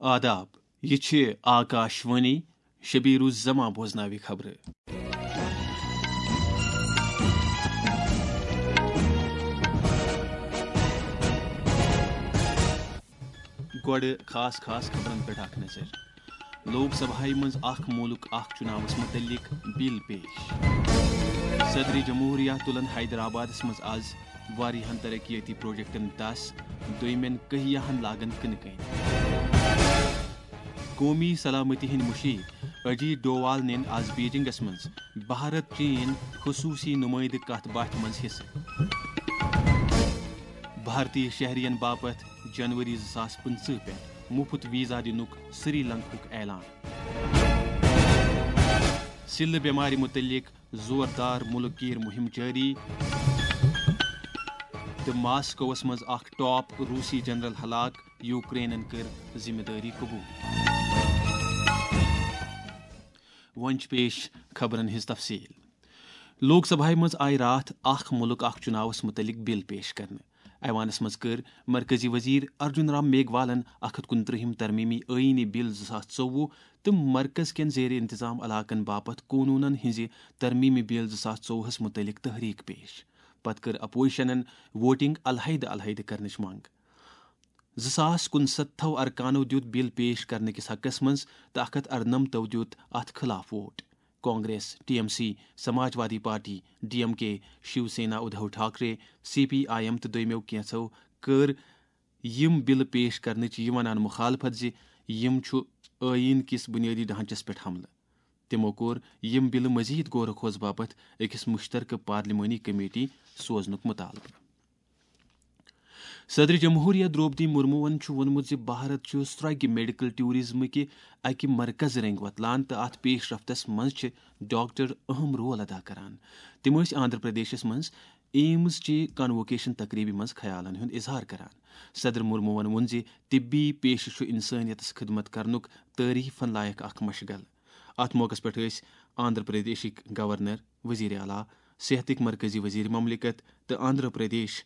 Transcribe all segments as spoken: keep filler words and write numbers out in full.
آداب، یہِ چھِ آکاش وانی، شبیر الزمان بوزناوِ خبرٕ۔ گۄڈٕ خاص خاص خبرن پٮ۪ٹھ اکھ نظر۔ لوک سبھایہِ منٛز اکھ مُلک اکھ چُناوس مُتعلق بل پیش۔ صدر جمہوریہ تُلن حیدرآبادس منٛز از واریاہن ترقیتی پروجیکٹن دس، دوٚیمٮ۪ن کہیاہن لاگن کٕنہٕ کٔنۍ۔ قومی سلامتی ہٕنٛدۍ مُشیر اجیت ڈووال نِن از بیجنگس منٛز بھارت چین خصوٗصی نُمٲیندٕ کتھ باتھِ منٛز حصہٕ۔ بھارتی شہرین باپتھ جنوری زٕ ساس پٕنٛژٕہ پٮ۪ٹھ مُفت ویزا دِنُک سری لنکاہُک اعلان۔ سِلہٕ بٮ۪مارِ مُتعلق زوردار مُلک گیٖر مُہِم جٲری۔ تہٕ ماسکووَس منٛز اکھ ٹاپ روٗسی جنرل ہلاک، یوکرینن کٔر ذمہٕ دٲری قبول۔ وۄنۍ چھِ پیش خبرن ہٕنٛز تفصیل۔ لوک سبھایہ منٛز آیہِ راتھ اکھ مُلک اکھ چُناوس مُتعلق بل پیش کرنہٕ۔ ایوانس منٛز کٔر مرکزی وزیر ارجن رام میگھوالن اکھ ہتھ کُنترٛہِم ترمیمی آئینی بل زٕ ساس ژوٚوُہ تہٕ مرکز کٮ۪ن زیر انتظام علاقن باپتھ قونوٗنن ہٕنٛزِ ترمیمی بل زٕ ساس ژوٚوُہس مُتعلق تحریک پیش۔ پتہٕ کٔر اپوزیشنن ووٹنگ علیحدٕ علیحدٕ کرنٕچ منٛگ۔ زٕ ساس کُنسَتتھو ارکانو دیُت بل پیش کرنہٕ کِس حقس منٛز تہٕ اکھ ہتھ ارنمتو دیُت اتھ خلاف vote. Congress, T M C, Samajwadi party, D M K, Shiv Sena, Uddhav Thackeray, C P I M تہٕ دوٚیمٮ۪و کینٛژھو کٔر یِم بلہٕ پیش کرنٕچ یہِ ونان مخالفت زِ یِم چھُ ٲییٖن کِس بنیٲدی ڈھانچس پٮ۪ٹھ حملہٕ۔ تِمو کوٚر یِم بلہٕ مزید غور و خوض باپتھ أکِس مشترکہٕ پارلیمانی کمیٹی سوزنُک مطالبہٕ۔ صدر جمہوریہ درٛوپدی مرموہن چھُ ووٚنمُت زِ بھارت چھُ سرٛوگہِ میڈیکل ٹورازمٕکہِ اکہِ مرکز رٔنٛگۍ وۄتلان تہٕ اتھ پیش رفتس منٛز چھِ ڈاکٹر اہم رول ادا کران۔ تِم ٲسۍ آندھرا پردیشس منٛز ایمز چہِ کنووکیشن تقریبہِ منٛز خیالن ہُنٛد اظہار کران۔ صدر مرموہن ووٚن زِ طبی پیشہٕ چھُ انسٲنیتس خدمت کرنُک تعریفن لایق اکھ مشغل۔ اتھ موقعس پٮ۪ٹھ ٲسۍ آندھرا پردیشٕکۍ گورنر، وزیر اعلیٰ، صحتٕکۍ مرکزی وزیر مملکت تہٕ آندھرا پردیش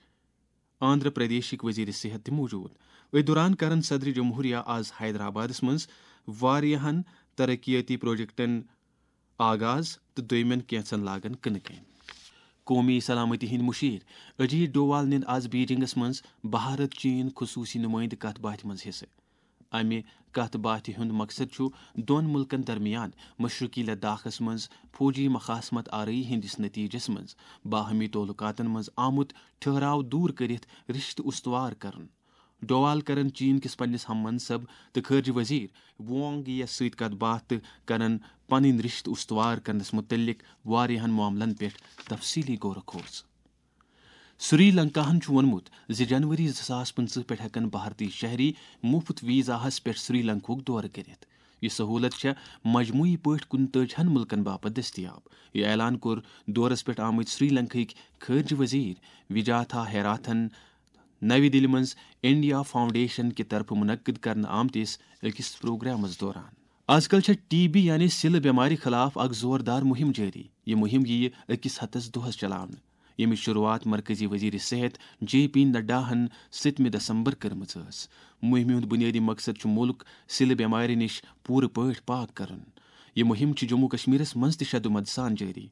آندھرا پردیشٕکۍ وزیر صحت تہِ موجود۔ أتھۍ دوران کرن صدر جمہوریہ آز حیدرآبادس منٛز واریاہن ترقیاتی پروجیکٹن آغاز تہٕ دوٚیمٮ۪ن کینٛژن لاگن کٕنہٕ کٔنۍ۔ قومی سلامتی ہٕنٛدۍ مُشیر اجیت ڈووال نِن آز بیجنگس منٛز بھارت چین خصوٗصی نُمٲیندٕ کتھ باتھِ منٛز حصہٕ۔ امہِ کتھ باتھِ ہُنٛد مقصد چھُ دۄن مُلکن درمیان مشرقی لداخس منٛز فوجی مخاصمت آرٲیی ہٕنٛدِس نتیجس منٛز باہمی تعلقاتن منٛز آمُت ٹھہراو دوٗر کٔرِتھ رشتہٕ استوار کرُن۔ ڈووال کرن چین کِس پننِس ہم منصب تہٕ خارجہ وزیر وانگ یی یَس سۭتۍ کتھ باتھ تہٕ کرن پنٕنۍ رشتہٕ استوار کرنس متعلق واریاہن معاملن پٮ۪ٹھ تفصیلی غور و خوض۔ سری لنکاہن چھُ ووٚنمُت زِ جنوری زٕ ساس پٕنٛژٕہ پٮ۪ٹھ ہٮ۪کن بھارتی شہری مُفت ویزاہس پٮ۪ٹھ سری لنکاہُک دورٕ کٔرِتھ۔ یہِ سہوٗلت چھےٚ مجموعی پٲٹھۍ کُنتٲجِہن مُلکن باپتھ دٔستیاب۔ یہِ اعلان کوٚر دورس پٮ۪ٹھ آمٕتۍ سری لنکاہٕکۍ خارجہ وزیر وجاتھا ہیراتھن نَوِ دِلہِ منٛز انڈیا فاؤنڈیشن کہِ طرفہٕ منعقد کرنہٕ آمتِس أکِس پروگرامس دوران۔ از کل چھےٚ ٹی بی یعنی سِلہٕ بٮ۪مارِ خلاف اکھ زوردار مُہِم جٲری۔ یہِ مُہِم یِیہِ أکِس ہتس دۄہس چلاونہٕ، ییٚمِچ شروٗعات مرکزی وزیر صحت جے پی نڈاہن سٔتمہِ دسمبر کٔرمٕژ ٲس۔ مُہِمہِ ہُنٛد بُنیٲدی مقصد چھُ مُلک سِلہٕ بٮ۪مارِ نِش پوٗرٕ پٲٹھۍ پاک کرُن۔ یہِ مُہِم چھِ جموں کشمیرس منٛز تہِ شدومد سان جٲری۔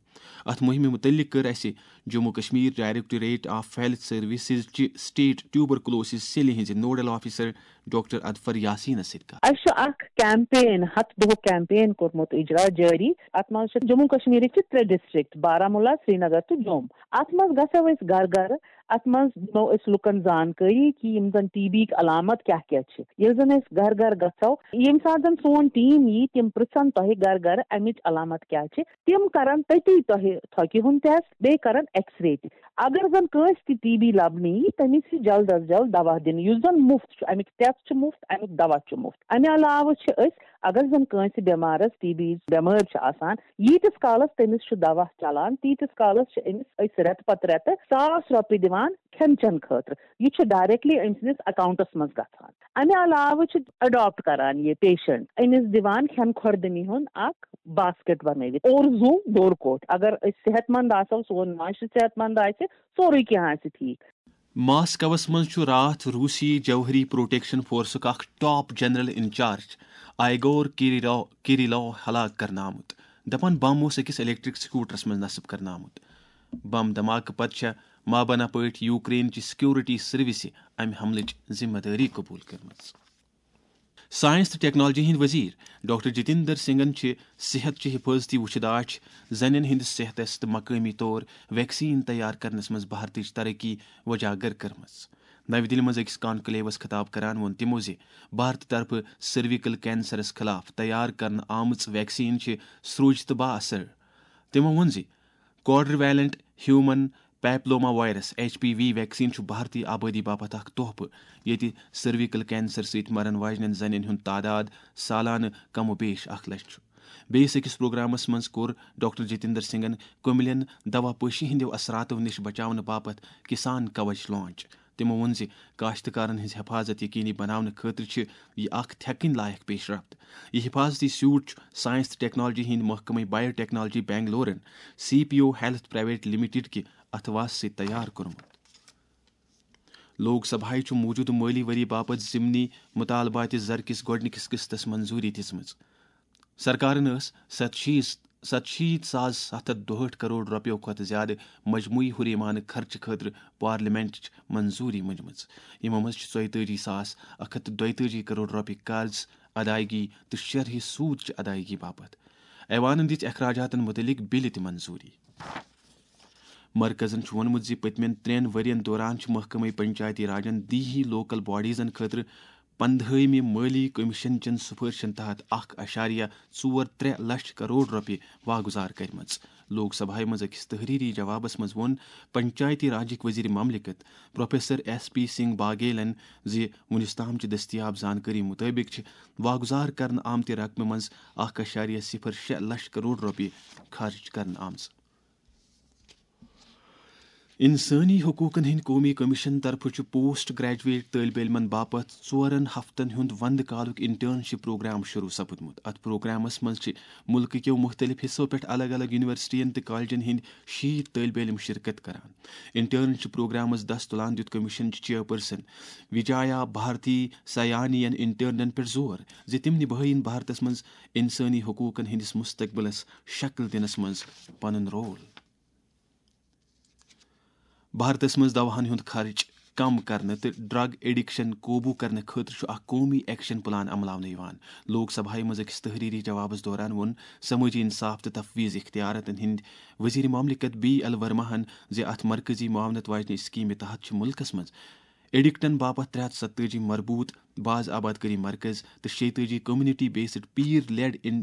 اتھ مُہِمہِ مُتعلق کٔر اسہِ Jammu Kashmir directorate of health services چہِ سٹیٹ ٹیوبرکلوسز سیلہِ ہٕنٛزِ نوڈل آفیسر ڈاکٹر اظفر یاسینس سۭتۍ کتھ۔ اسہِ چھُ اکھ کیمپین، ہتھ دۄہُک کیمپین کوٚرمُت اجرا جٲری۔ اتھ منٛز چھِ جموں کشمیرٕکۍ چھِ ترٛےٚ ڈسٹرکٹ، بارہمولہ، سرینگر تہٕ جوم۔ اتھ منٛز گژھو أسۍ گرٕ گرٕ، اتھ منٛز دِمو أسۍ لُکن زانکٲری کہِ یِم زن ٹی بی یِکۍ علامت کیاہ کیاہ چھِ۔ ییٚلہِ زن أسۍ گرٕ گرٕ گژھو، ییٚمہِ ساتہٕ زن سون ٹیٖم یی، تِم پرژھن تۄہہِ گرٕ گرٕ امِچ علامت کیاہ چھِ۔ تِم کرن تٔتی تۄہہِ تھۄکہِ ہُنٛد ٹیسٹ، بیٚیہِ کرن ایکس رے تہِ۔ اگر زن کٲنٛسہِ تہِ ٹی بی لبنہٕ یی، تٔمِس یی جلد از جلد دوا دِنہٕ، یُس زن مُفت چھُ، امیُک ٹیسٹ چھُ مُفت، امیُک دوا چھُ مُفت۔ امہِ علاوٕ چھِ أسۍ، اگر زن کٲنٛسہِ بٮ۪مارس ٹی بی بٮ۪مٲرۍ چھِ آسان، ییٖتِس کالس تٔمِس چھُ دوا چلان، تیٖتِس کالس چھِ أمِس أسۍ رٮ۪تہٕ پتہٕ رٮ۪تہٕ ساس رۄپیہِ دِوان کھٮ۪ن چٮ۪ن خٲطرٕ۔ یہِ چھُ ڈائریکٹلی أمۍ سٕنٛدِس اکاؤنٹس منٛز گژھان۔ امہِ علاوٕ چھِ اڈاپٹ کران یہِ پیشنٹ، أمِس دِوان کھٮ۪ن خوردنی ہُنٛد اکھ باسکٹ بنٲوِتھ، اور زُو ڈور کوٹھ۔ اگر أسۍ صحت مند آسو، سون معاشرٕ صحت مند آسہِ، سورُے کینٛہہ آسہِ ٹھیٖک۔ ماسکوَس منٛز چھُ راتھ روٗسی جوہری پروٹیکشن فورسُک اکھ ٹاپ جنرل انچارج آیگور کیریلو، کیریلو ہلاک کرنہٕ آمُت۔ دپان بم اوس أکِس الیکٹرک سکوٹرس منٛز نصب کرنہٕ آمُت۔ بم دھماکہٕ پتہٕ چھےٚ مابنا پٲٹھۍ یوکرین چہِ سیکورٹی سروسہِ امہِ حملٕچ ذمہ دٲری قبول کٔرمٕژ۔ ساینس تہٕ ٹیکنالوجی ہٕنٛدۍ وزیر ڈاکٹر جتیندر سنگھن چھِ صحت چہِ حفاظتی وُچھداچھ، زنٮ۪ن ہٕنٛدِس صحتس تہٕ مقٲمی طور ویکسین تیار کرنس منٛز بھارتٕچ ترقی وجاگر کٔرمٕژ۔ نَوِ دِلہِ منٛز أکِس کانکلیوس خطاب کران ووٚن تِمو زِ بھارتہٕ طرفہٕ سرویکل کینسرس خلاف تیار کرنہٕ آمٕژ ویکسین چھِ سرٛوج تہٕ با اثر۔ تِمو ووٚن زِ quadrivalent human papilloma virus, H P V, vaccine چھُ بھارتی آبٲدی باپتھ اکھ تحفہٕ، ییٚتہِ سرویکل کینسر سۭتۍ مرن واجنٮ۪ن زنٮ۪ن ہُنٛد تعداد سالانہٕ کم و بیش اکھ لچھ چھُ۔ بیٚیِس أکِس پروگرامس منٛز کوٚر ڈاکٹر جتیندر سنگھن کُملٮ۪ن دوا پٲشی ہٕنٛدیو اثراتو نِش بچاونہٕ باپتھ کسان کوچ لانچ۔ تِمو ووٚن زِ کاشتکارن ہٕنٛز حفاظت یقینی بناونہٕ خٲطرٕ چھِ یہِ اکھ تھٮ۪کٕنۍ لایق پیش رفت۔ یہِ حفاظتی سیوٹ چھُ ساینس تہٕ ٹیکنالوجی ہٕنٛدۍ محکمہٕ بایو ٹیکنالوجی بنگلورن، C P O health private limited کہِ اتھواسہٕ سۭتۍ تیار کوٚرمُت۔ لوک سبھایہ چھُ موٗجوٗدٕ مٲلی ؤری باپتھ ضمنی مطالباتِ زر کِس گۄڈٕنِکِس قسطس منظوٗری دِژمٕژ۔ سرکارن ٲس ستشیٖتھ، ستشیٖتھ ساس ستھ ہتھ دُہٲٹھ کرور رۄپیو کھۄتہٕ زیادٕ مجموعی ہُریمانہٕ خرچہٕ خٲطرٕ پارلیمنٹٕچ منظوٗری مٔنجمٕژ۔ یِمو منٛز چھِ ژۄیتٲجی ساس اکھ ہتھ تہٕ دۄیتٲجی کرور رۄپیہِ قرض ادائیگی تہٕ شرحہِ سوٗد چہِ ادائیگی باپتھ۔ ایوانن دِژ اخراجاتن مُتعلق بِلہِ تہِ منظوٗری۔ مرکزن چھُ ووٚنمُت زِ پٔتمٮ۪ن ترٛٮ۪ن ؤرین دوران چھِ محکمہٕ پنچایتی راجن دیہی لوکل باڈیزن خٲطرٕ پندہٲیمہِ مٲلی کمیشن چٮ۪ن سفارشن تحت اکھ اعشاریہ ژور ترٛےٚ لچھ کرور رۄپیہِ واگُزار کٔرمٕژ۔ لوک سبھایہ منٛز أکِس تحریری جوابس منٛز ووٚن پنچایتی راجٕکۍ وزیر مملکت پروفیسر ایس پی سنگھ باگیلن زِ وُنیُس تام چھِ دٔستیاب زانکٲری مُطٲبِق چھِ واگُزار کرنہٕ آمتہِ رقمہِ منٛز اکھ اعشاریہ صفر شےٚ لچھ کرور رۄپیہِ خرٕچ کرنہٕ آمژٕ۔ انسٲنی حقوقن ہٕنٛدۍ قومی کمیشن طرفہٕ چھُ پوسٹ گریجویٹ طٲلبہِ علمن باپتھ ژورن ہفتن ہُنٛد وندٕ کالُک انٹرنشپ پروگرام شروع سپُدمُت۔ اتھ پروگرامس منٛز چھِ مُلکہٕ کیو مُختٔلِف حصو پٮ۪ٹھ الگ الگ یونیورسٹین تہٕ کالجن ہٕنٛدۍ شیٖتھ طٲلبہِ علم شرکت کران۔ انٹرنشپ پروگرامس دست تُلان دیُت کمیشن چہِ چیئرپرسن وجایا بھارتی سیانی ین انٹرنن پٮ۪ٹھ زور زِ تِم نِبھٲیِن بھارتس منٛز انسٲنی حقوقن ہٕنٛدِس مستقبلس شکل دِنس منٛز پنُن رول۔ بھارتس منٛز دواہن ہُنٛد خرچ کم کرنہٕ تہٕ ڈرگ ایڈکشن قوبوٗ کرنہٕ خٲطرٕ چھُ اکھ قومی ایکشن پلان عملاونہٕ یِوان۔ لوک سبھایہ منٛز أکِس تحریری جوابس دوران ووٚن سمٲجی انصاف تہٕ تفویض اختیاراتن ہٕنٛدۍ وزیر مملکت بی ایل ورماہن زِ اتھ مرکزی معاونت واجنہِ اسکیمہِ تحت چھِ ملکس منٛز ایڈکٹن باپتھ ترٛےٚ ہتھ ستتٲجی مربوط باز آباد کٲری مرکز تہٕ شیٚتٲجی community based pair lead in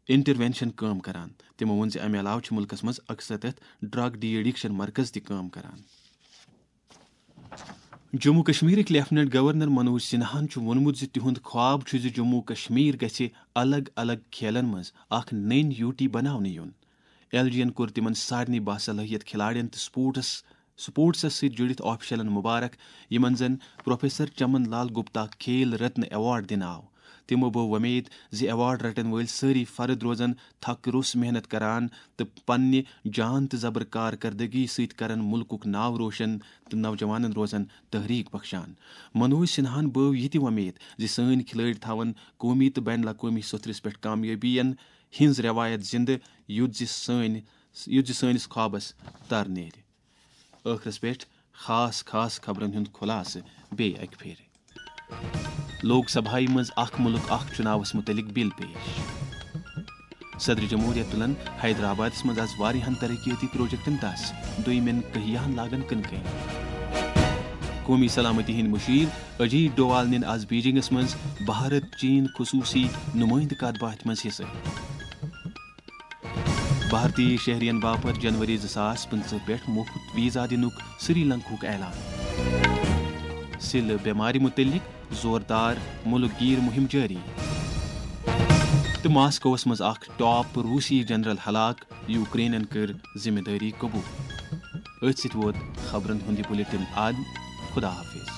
intervention کٲم کران۔ تِمو ووٚن زِ امہِ علاوٕ چھِ مُلکس منٛز اکسَتتھ ڈرگ ڈی ایڈکشن مرکز تہِ کٲم کران۔ جموں کشمیرٕکۍ لیفٹیننٹ گورنر منوج سنہاہن چھُ ووٚنمُت زِ تِہُنٛد خواب چھُ زِ جموں کشمیر گژھِ الگ الگ کھیلن منٛز اکھ نٔنۍ یوٗٹی بناونہٕ یُن۔ ایل جی ین کوٚر تِمن سارنٕے باصلٲحیت کھلاڑین تہٕ سپورٹس، سپورٹسس سۭتۍ جُڑِتھ آفیشلن مبارک، یِمن زن پروفیسر چمن لال گپتا کھیل رتن ایوارڈ دِنہٕ آو۔ تِمو بٲو وۄمید زِ ایوارڈ رٹن وٲلۍ سٲری فرد روزن تھکھ روٚس محنت کران تہٕ پننہِ جان تہٕ زبر کارکردگی سۭتۍ کرن مُلکُک ناو روشن تہٕ نوجوانن روزن تحریک بخشان۔ منوج سنہاہن بٲو یہِ تہِ وۄمید زِ سٲنۍ کھلٲڑۍ تھاون قومی تہٕ بین الاقوٲمی سطرس پٮ۪ٹھ کامیٲبین ہٕنٛز رٮ۪وایت زِندٕ، یُتھ زِ سٲنۍ، یُتھ زِ سٲنِس خوابس تر نیرِ۔ ٲخرس پٮ۪ٹھ خاص خاص خبرن ہُنٛد خلاصہٕ بیٚیہِ اکہِ پھِرِ۔ لوک سبھایہ منٛز اکھ مُلک اکھ چُناوس مُتعلق بل پیش۔ صدر جمہوریہ تُلن حیدرآبادس منٛز از واریاہن ترقیٲتی پروجیکٹن دس، دوٚیمٮ۪ن کہیاہن لاگن کٕنہٕ کٔنۍ۔ قومی سلامتی ہٕنٛدۍ مُشیر اجیت ڈووال نِن از بیجنگس منٛز بھارت چین خصوصی نمائندٕ کتھ باتھِ منٛز حصہٕ۔ بھارتی شہرین باپتھ جنوری زٕ ساس پٕنٛژٕہ پٮ۪ٹھ مُفت ویزا دِنُک سری لنکاہُک اعلان۔ سِلہٕ بٮ۪مارِ مُتعلق زوردار مُلک گیٖر مُہِم جٲری۔ تہٕ ماسکووَس منٛز اکھ ٹاپ روٗسی جنرل ہلاک، یوکرینن کٔر ذمہٕ دٲری قبول۔ أتھۍ سۭتۍ ووت خبرن ہُنٛد یہِ بُلیٹن اند۔ خدا حافظ۔